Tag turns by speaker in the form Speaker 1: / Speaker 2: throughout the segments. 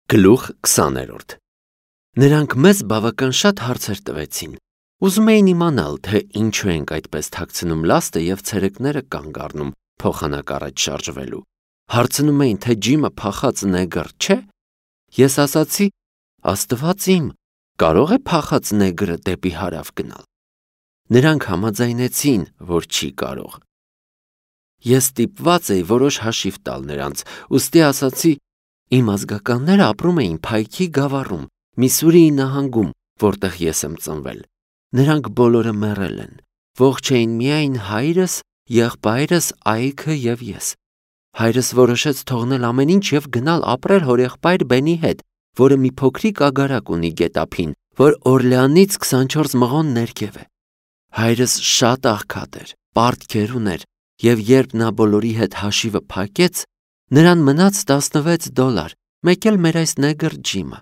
Speaker 1: Գլուխ 20-րդ Նրանք մեզ բավական շատ հարցեր տվեցին. ուզում էին իմանալ, թե ինչու ենք այդպես թաքցնում լաստը և ցերեկները կանգ առնում փոխանակ առաջ շարժվելու։ Հարցնում էին, թե Ջիմը փախած նեգր չէ։ Ես ասացի. Աստված իմ, կարո՞ղ է փախած նեգրը դեպի հարավ գնալ։ Նրանք համաձայնեցին, որ չի կարող։ Ես ստիպված էի որոշ հաշիվ տալ նրանց, ուստի ասացի. իմ ազգականները ապրում էին Փայքի գավառում, Միսուրիի նահանգում, որտեղ ես եմ ծնվել։ Նրանք բոլորը մեռել են։ Ողջ էին միայն հայրս, եղբայրս, Այքը և ես։ Հայրս որոշեց թողնել ամեն ինչ և գնալ ապրել հորեղբայր Բենի հետ, որը մի փոքրիկ ագարակ ունի գետափին, որ Օրլեանից 24 մղոն ներքև է։ Հայրս շատ աղքատ էր, պարտքեր ուներ, և երբ նա բոլորի հետ հաշիվը փակեց, նրան մնաց $16, մեկ էլ մեր այս նեգր Ջիմը։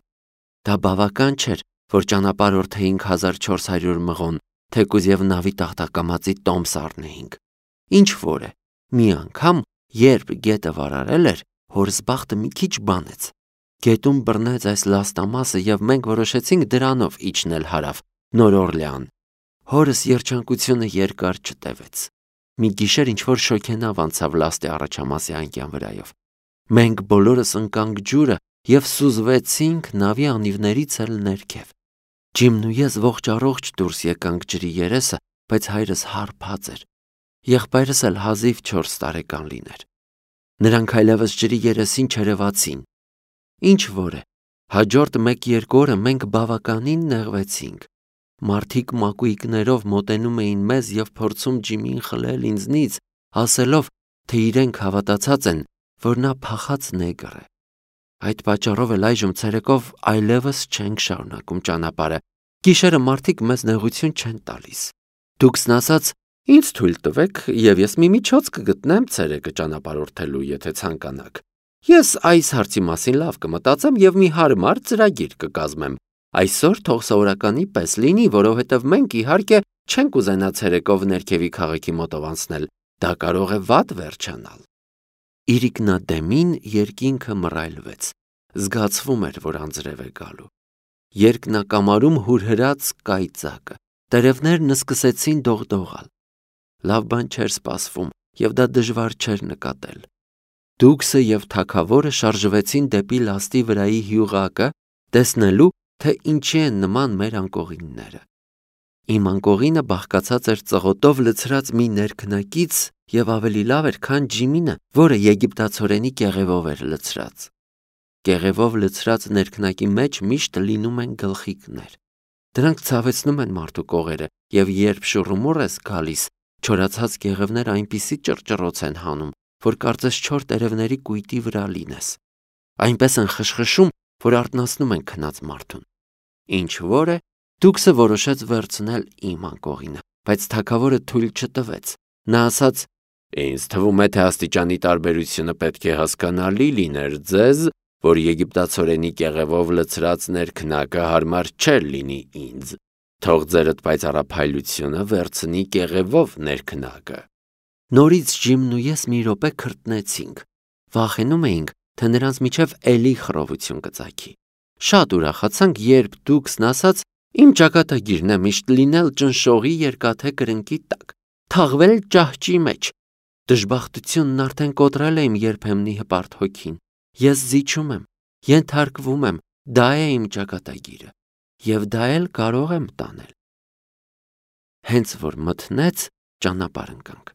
Speaker 1: Դա բավական չէր, որ ճանապարհորդեինք 1400 մղոն, թեկուզ և նավի տախտակամածի տոմս առնեինք։ Ինչ որ է, մի անգամ, երբ գետը վարարել էր, հորս բախտը մի քիչ բանեց։ Գետում բռնեց այս լաստամասը և մենք որոշեցինք դրանով իջնել հարավ, Նոր Օրլեան։ Հորս երջանկությունը երկար չտևեց։ Մի գիշեր ինչ-որ շոգենավ անցավ լաստի առաջամասի անկյան վրայով։ Մենք բոլորս ընկանք ջուրը և սուզվեցինք նավի անիվներից էլ ներքև։ Ջիմն ու ես ողջ առողջ դուրս եկանք ջրի երեսը, բայց հայրս հարբած էր։ Եղբայրս էլ հազիվ 4 տարեկան լիներ։ Նրանք այլևս ջրի երեսին չերևացին։ Ինչ որ է, հաջորդ 1-2 օրը մենք բավականին նեղվեցինք։ Մարդիկ մակույկներով մոտենում էին մեզ և փորձում Ջիմին խլել ինձնից, ասելով, թե իրենք հավատացած են, որ նա փախած նեգր է։ Այդ պատճառով էլ այժմ ցերեկով այլևս չենք շարունակում ճանապարհը։ Գիշերը մարդիկ մեզ նեղություն չեն տալիս։ Դուքսն ասաց. ինձ թույլ տվեք, և ես մի միջոց կգտնեմ ցերեկը ճանապարհորդելու, եթե ցանկանաք։ Ես այս հարցի մասին լավ կմտածեմ և մի հարմար ծրագիր կկազմեմ։ Այսօր թող սովորականի պես լինի, որովհետև մենք իհարկե չենք ուզենա ցերեկով ներքևի քաղաքի մոտով անցնել։ Դա կարող է վատ վերջանալ։ Իրիկնադեմին երկինքը մռայլվեց։ Զգացվում էր, որ անձրև է գալու։ Երկնակամարում հուրհրաց կայծակը։ Տերևներն սկսեցին դողդողալ։ Լավ բան չէր սպասվում, և դա դժվար չէր նկատել։ Դուքսը և թագավորը շարժվեցին դեպի լաստի վրայի հյուղակը, տեսնելու, թե ինչի են նման մեր անկողինները։ Իմ անկողինը բաղկացած էր ծղոտով լցրած մի ներքնակից և ավելի լավ էր, քան Ջիմինը, որը եգիպտացորենի կեղևով էր լցրած։ Կեղևով լցրած ներքնակի մեջ միշտ լինում են գլխիկներ։ Դրանք ցավեցնում են մարդու կողերը, և երբ շուռումուռ ես գալիս, չորացած կեղևները այնպիսի ճռճռոց են հանում, որ կարծես չոր տերևների կույտի վրա լինես։ Այնպես են խշխշում, որ արթնացնում են քնած մարդուն։ Ինչ որ է, Դուքսը որոշեց վերցնել իմ անկողինը, բայց թագավորը թույլ չտվեց։ Նա ասաց. ինձ թվում է, թե աստիճանի տարբերությունը պետք է հասկանալի լիներ ձեզ, որ եգիպտացորենի կեղևով լցրած ներքնակը հարմար չէր լինի ինձ։ Թող ձերդ պայծառափայլությունը վերցնի կեղևով ներքնակը։ Նորից Ջիմն ու ես մի րոպե քրտնեցինք։ Վախենում էինք, թե նրանց միջև էլի խռովություն կծագի։ Շատ ուրախացանք, երբ Դուքսն ասաց. իմ ճակատագիրն է միշտ լինել ճնշողի երկաթե կրնկի տակ, թաղվել ճահճի մեջ։ Դժբախտությունն արդեն կոտրել է իմ երբեմնի հպարտ հոգին։ Ես զիջում եմ, ենթարկվում եմ, դա է իմ ճակատագիրը, և դա էլ կարող եմ տանել։ Հենց որ մթնեց, ճանապարհ ընկանք։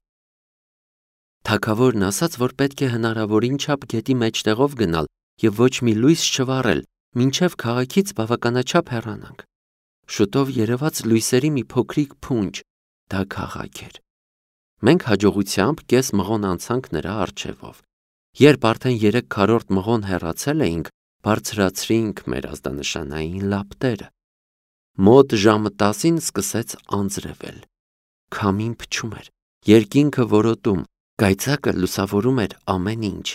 Speaker 1: Թագավորն ասաց, որ պետք է հնարավորին չափ գետի մեջտեղով գնալ և ոչ մի լույս չվառել, մինչև քաղաքից բավականաչափ հեռանանք։ Շուտով երևաց լույսերի մի փոքրիկ փունջ, դա քաղաք էր։ Մենք հաջողությամբ կես մղոն անցանք նրա առջևով։ Երբ արդեն 3/4 մղոն հեռացել էինք, բարձրացրինք մեր ազդանշանային լապտերը։ Մոտ ժամը 10-ին սկսեց անձրևել։ Քամին փչում էր, երկինքը որոտում, կայծակը լուսավորում էր ամեն ինչ։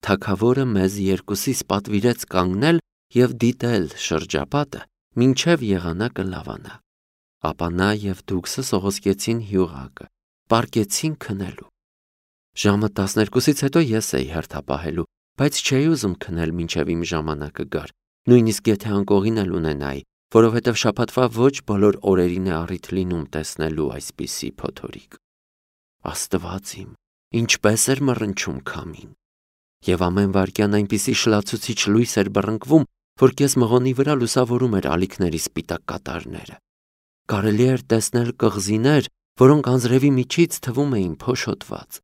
Speaker 1: Թագավորը մեզ երկուսիս պատվիրեց կանգնել և դիտել շրջապատը, մինչև եղանակը լավանա։ Ապա նա և Դուքսը սողոսկեցին հյուղակը, պառկեցին քնելու։ Ժամը 12-ից հետո ես էի հերթապահելու, բայց չէի ուզում քնել մինչև իմ ժամանակը գար, նույնիսկ եթե անկողին էլ ունենայի, որովհետև շաբաթվա ոչ բոլոր օրերին է առիթ լինում տեսնելու այսպիսի փոթորիկ։ Աստված իմ, ինչպես էր մռնչում քամին։ Եվ ամեն վայրկյան այնպիսի շլացուցիչ լույս էր բռնկվում, որ կես մղոնի վրա լուսավորում էր ալիքների սպիտակ կատարները։ Կարելի էր տեսնել կղզիներ, որոնք անձրևի միջից թվում էին փոշոտված։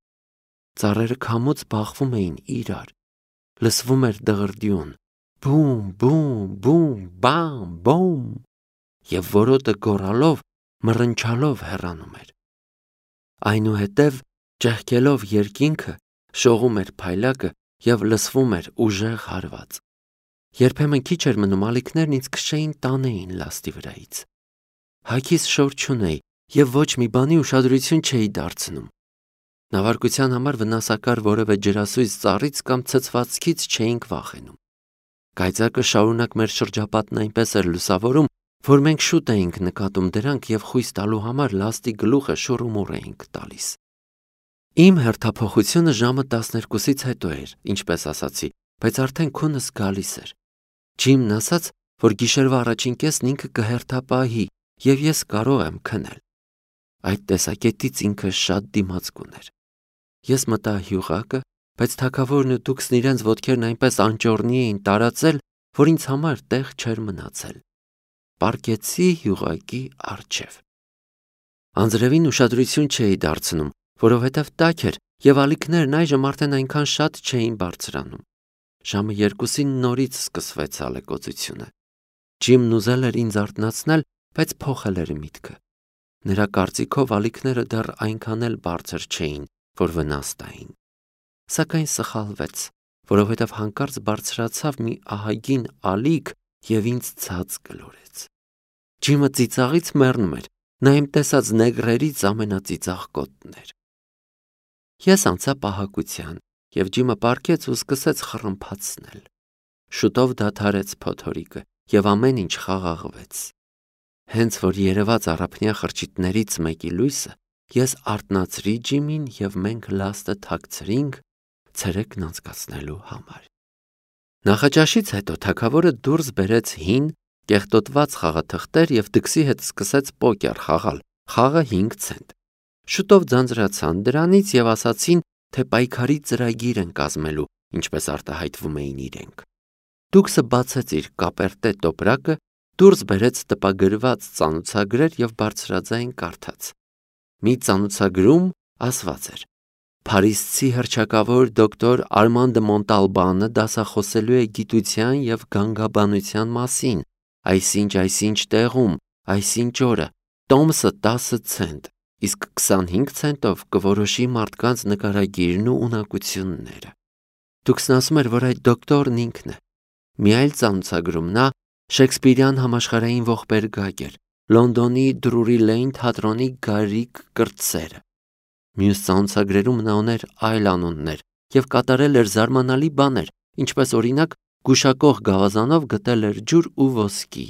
Speaker 1: Ծառերը քամուց բախվում էին իրար։ Լսվում էր դղրդյուն. բում, բում, բում, բամ, բոմ, և որոտը գոռալով, մռնչալով հեռանում էր։ Այնուհետև, ճեղքելով երկինքը, շողում էր փայլակը և լսվում էր ուժեղ հարված։ Երբեմն քիչ էր մնում ալիքներն ինձ քշեին տանեին լաստի վրայից։ Հագիս շոր չունեի և ոչ մի բանի ուշադրություն չէի դարձնում։ Նավարկության համար վնասակար որևէ ջրասույզ ծառից կամ ցցվածքից չէինք վախենում։ Կայծակը շարունակ մեր շրջապատն այնպես էր լուսավորում, որ մենք շուտ էինք նկատում դրանք և խույս տալու համար լաստի գլուխը շուռումուռ էինք տալիս։ Իմ հերթափոխությունը ժամը 12-ից հետո էր, ինչպես ասացի, բայց արդեն քունս գալիս էր։ Ջիմն ասաց, որ գիշերվա առաջին կեսն ինքը կհերթապահի և ես կարող եմ քնել։ Այդ տեսակետից ինքը շատ դիմացկուն էր։ Ես մտա հյուղակը, բայց թագավորն ու դուքսն իրենց ոտքերն այնպես անճոռնի էին տարածել, որ ինձ համար տեղ չէր մնացել։ Պառկեցի հյուղակի առջև։ Անձրևին ուշադրություն չէի դարձնում, որովհետև տաք էր և ալիքներն այժմ արդեն այնքան շատ չէին բարձրանում։ Ժամը 2-ին նորից սկսվեց ալեկոծությունը։ Ջիմն ուզել էր ինձ արթնացնել, բայց փոխել էր միտքը։ Նրա կարծիքով ալիքները դեռ այնքան էլ բարձր չէին, որ վնաս տային։ Սակայն սխալվեց, որովհետև հանկարծ բարձրացավ մի ահագին ալիք և ինձ ցած գլորեց։ Ջիմը ծիծաղից մեռնում էր, նա իմ տեսած նեգրերից ամենածիծաղ կոտն էր։ Ես անցա պահակության, և Ջիմը պառկեց ու սկսեց խռմփացնել։ Շուտով դադարեց փոթորիկը, և ամեն ինչ խաղաղվեց։ Հենց որ երևաց առափնյա խրճիթներից մեկի լույսը, ես արթնացրի Ջիմին և մենք լաստը թաքցրինք ցերեկն անցկացնելու համար։ Նախաճաշից հետո թագավորը դուրս բերեց հին, կեղտոտված խաղաթղթեր և դքսի հետ սկսեց պոկեր խաղալ, խաղը 5 ցենտ։ Շուտով ձանձրացան դրանից և ասացին, թե պայքարի ծրագիր են կազմելու, ինչպես արտահայտվում էին իրենք։ Դուքսը բացեց իր կապերտե տոպրակը, դուրս բերեց տպագրված ծանոցագրեր և բարձրաձայն կարդաց։ Մի ծանոցագրում ասված էր. Փարիզցի հռչակավոր դոկտոր Արման դը Մոնտալբանը դասախոսելու է գիտության և գանգաբանության մասին, այսինչ տեղում, այսինչ օրը, տոմսը 10 ցենտ, իսկ 25 ցենտով կորոշի մարդկանց նկարագիրն ու ունակությունները։ Դուքսն ասում էր, որ այդ դոկտորն ինքն է։ Մի այլ ծանոցագրում նա Շեքսպիրյան համաշխարհային ողբերգակ էր, Լոնդոնի Դրուրի Լեյն թատրոնի Գարիկ կրտսերը։ Մյուս ծանոցագրերում նա ուներ այլ անուններ և կատարել էր զարմանալի բաներ, ինչպես օրինակ գուշակող գավազանով գտել էր ջուր ու ոսկի,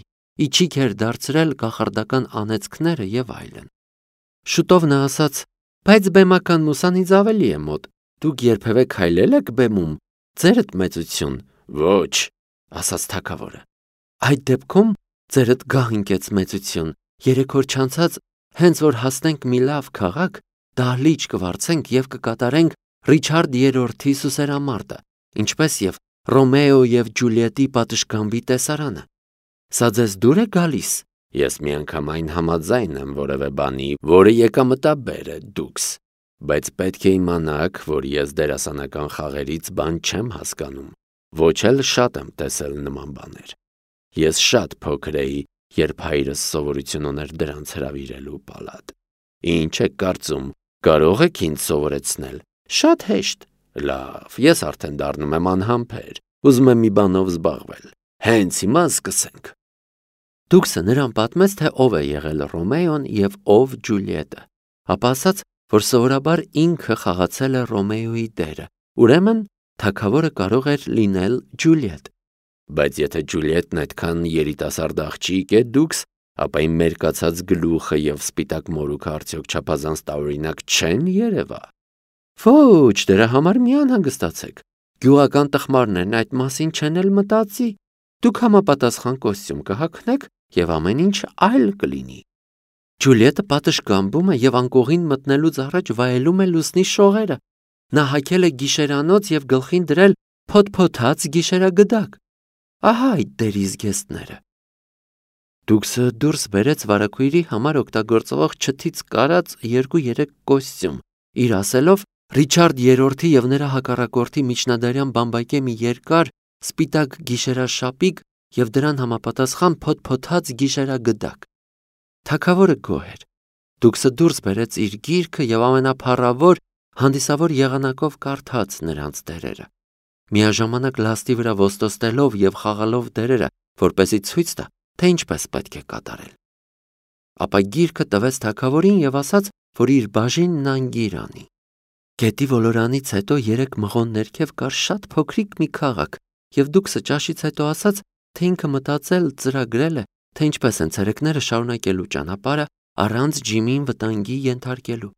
Speaker 1: իջիկ էր դարձրել կախարդական անեծքները և այլն։ Շուտով նա ասաց. բայց բեմական մուսան ինձ ավելի է մոտ, դուք երբևէ քայլել եք բեմում, ձերդ մեծություն։ Ոչ, ասաց թագավորը։ Այդ դեպքում ձերդ գահ ընկեց մեծություն, 3 օր չանցած, հենց որ հասնենք մի լավ քաղաք, դահլիճ կվարձենք և կկատարենք Ռիչարդ III-ի սուսերամարտը, ինչպես և Ռոմեո և Ջուլիետի պատշգամբի տեսարանը։ Սա ձեզ դուր է գալիս։ Ես միանգամայն համաձայն եմ որևէ բանի, որը եկամտաբեր է, դուքս, բայց պետք է իմանաք, որ ես դերասանական խաղերից բան չեմ հասկանում, ոչ էլ շատ եմ տեսել նման բաներ։ Ես շատ փոքր էի, երբ հայրս սովորություն ուներ դրանց հրավիրելու պալատ։ Ինչ եք կարծում, կարող եք ինձ սովորեցնել։ Շատ հեշտ։ Լավ, ես արդեն դառնում եմ անհամբեր, ուզում եմ մի բանով զբաղվել։ Հենց հիմա սկսենք։ Դուքսը նրան պատմեց, թե ով է եղել Ռոմեոն և ով Ջուլիետը, ապա ասաց, որ սովորաբար ինքը խաղացել է Ռոմեոյի դերը, ուրեմն թագավորը կարող էր լինել Ջուլիետ։ Բայց եթե Ջուլիետն այդքան երիտասարդ աղջիկ է, դուքս, ապա իմ մերկացած գլուխը և սպիտակ մորուքը արդյոք չափազանց տարօրինակ չեն երևա։ Ոչ, դրա համար մի անհանգստացեք։ Գյուղական տխմարներն այդ մասին չեն էլ մտածի։ Դուք համապատասխան կոստյում կհագնեք եւ ամեն ինչ այլ կլինի։ Ջուլիետը պատշգամբում է եւ անկողին մտնելուց առաջ վայելում է լուսնի շողերը։ Նա հագել է գիշերանոց եւ գլխին դրել փոթփոթած գիշերագդակ։ Ահա այդ դերիզգեստները։ Դուքսը դուրս բերեց վարակույրի համար օգտագործվող չթից կարած 2-3 կոստյում, իր ասելով Ռիչարդ III եւ նրա հակառակորդի միջնադարյան բամբակե մի երկար սպիտակ գիշերաշապիկ եւ դրան համապատասխան փոթփոթած գիշերագդակ։ Թագավորը գոհ էր։ Դուքսը դուրս բերեց իր գիրքը եւ ամենափառավոր հանդիսավոր եղանակով կարդաց նրանց դերերը, միաժամանակ լաստի վրա ոստոստելով եւ խաղալով դերերը, որպեսզի ցույց տա, թե ինչպես պետք է կատարել։ Ապա գիրքը տվեց թագավորին եւ ասաց, որ իր բաժինն անգիր անի։ Գետի ոլորանից հետո 3 մղոն ներքև կար շատ փոքրիկ մի քաղաք, եւ դուքսը ճաշից հետո ասաց, թե ինքը մտածել ծրագրել է, թե ինչպես են ցերեկները շարունակելու ճանապարհը առանց Ջիմին վտանգի ենթարկելու։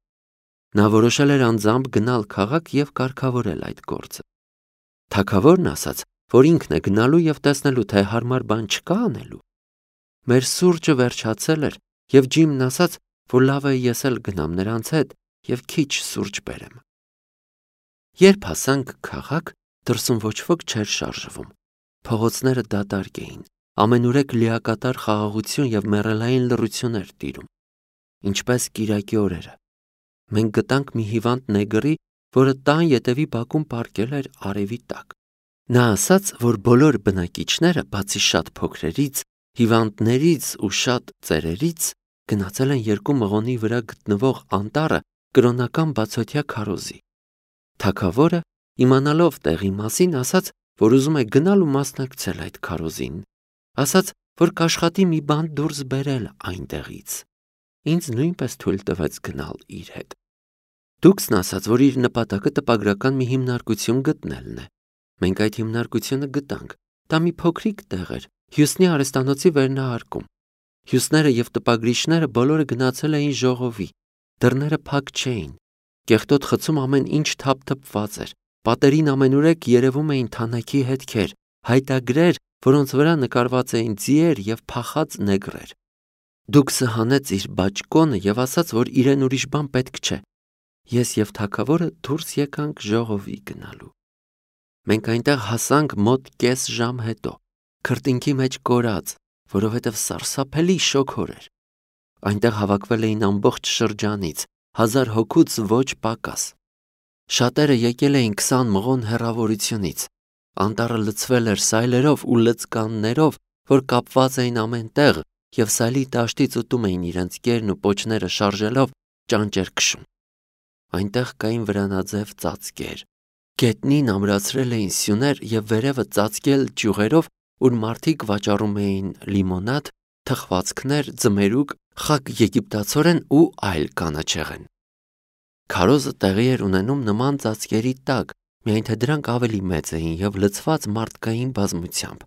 Speaker 1: Նա որոշել էր անձամբ գնալ քաղաք եւ կարգավորել այդ գործը։ Թագավորն ասաց, որ ինքն է գնալու եւ տեսնելու, թե հարմար բան չկա անելու։ Մեր սուրճը վերջացել էր, եւ Ջիմն ասաց, որ լավ է ես էլ գնամ նրանց հետ եւ քիչ սուրճ բերեմ։ Երբ հասանք քաղաք, դրսում ոչ ոք չէր շարժվում։ Փողոցները դատարկ էին, ամենուրեք լիակատար խաղաղություն եւ մեռելային լռություն էր տիրում, ինչպես կիրակի օրերը։ Մենք գտանք մի հիվանդ նեգրի, որը տան ետևի բակում պառկել էր արևի տակ։ Նա ասաց, որ բոլոր բնակիչները, բացի շատ փոքրերից, հիվանդներից ու շատ ծերերից, գնացել են 2 մղոնի վրա գտնվող անտառը կրոնական բացօթյա քարոզի։ Թագավորը, իմանալով տեղի մասին, ասաց, որ ուզում է գնալ ու մասնակցել այդ քարոզին։ Ասաց, որ կաշխատի մի բան դուրս բերել այնտեղից։ Ինձ նույնպես թույլ տվեց գնալ իր հետ։ Դուքսն ասաց, որ իր նպատակը տպագրական մի հիմնարկություն գտնելն է։ Մենք այդ հիմնարկությունը գտանք։ Դա մի փոքրիկ տեղ էր, Հյուսնի արհեստանոցի վերնահարկում։ Հյուսները եւ տպագրիչները բոլորը գնացել էին ժողովի։ Դռները փակ չէին։ Կեղտոտ խցում ամեն ինչ թափթփված էր։ Պատերին ամենուրեք երևում էին թանաքի հետքեր, հայտագրեր, որոնց վրա նկարված էին ձիեր եւ փախած նեգրեր։ Դուքսը հանեց իր բաճկոնը եւ ասաց, որ իրեն ուրիշ բան պետք չէ։ Ես եւ թագավորը դուրս եկանք ժողովի գնալու։ Մենք այնտեղ հասանք մոտ կես ժամ հետո, քրտինքի մեջ կորած, որովհետեւ սարսափելի շոգոր էր։ Այնտեղ հավաքվել էին ամբողջ շրջանից 1000 հոգուց ոչ պակաս։ Շատերը եկել էին 20 մղոն հեռավորությունից։ Անտառը լցվել էր սայլերով ու լծկաններով, որ կապված էին ամեն տեղ եւ սայլի դաշտից ուտում էին իրենց կերն ու պոչները շարժելով ճանճեր քշում։ Այնտեղ կային վրանաձև ծածկեր։ Գետնին ամրացրել էին սյուներ եւ վերևը ծածկել ճյուղերով, ուր մարդիկ վաճառում էին լիմոնադ, թխվածքներ, ձմերուկ, խակ եգիպտացորեն ու այլ կանաչեղեն։ Քարոզը տեղի էր ունենում նման ծածկերի տակ, միայն թե դրանք ավելի մեծ էին եւ լցված մարդկային բազմությամբ։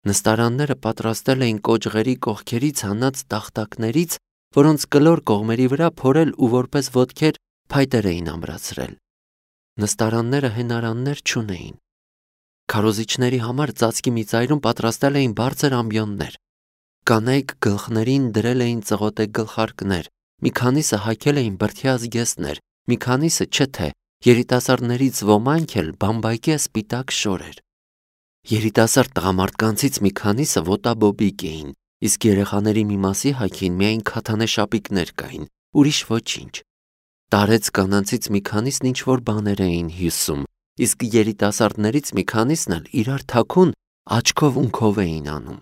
Speaker 1: Նստարանները պատրաստել էին կոճղերի կողքերից հանած տախտակներից, որոնց կլոր կողմերի վրա փորել ու որպես ոտքեր փայտեր էին ամրացրել։ Նստարանները հենարաններ չունեին։ Քարոզիչների համար ծածկի մի ծայրում պատրաստել էին բարձր ամբիոններ։ Կանայք գլխներին դրել էին ծղոտե գլխարկներ, մի քանիսը հագել էին բրդյա զգեստներ, մի քանիսը չէ թե երիտասարդներից ոմանք էլ բամբակե սպիտակ շորեր։ Երիտասարդ տղամարդկանցից մի քանիսը ոտաբոբիկ էին, իսկ երեխաների մի մասի հագին միայն քաթանե շապիկներ կային, ուրիշ ոչինչ։ Տարեց կանանցից մի քանիսն ինչ-որ բաներ էին հյուսում, իսկ երիտասարդներից մի քանիսն էլ իրար թաքուն աչքով ունքով էին անում։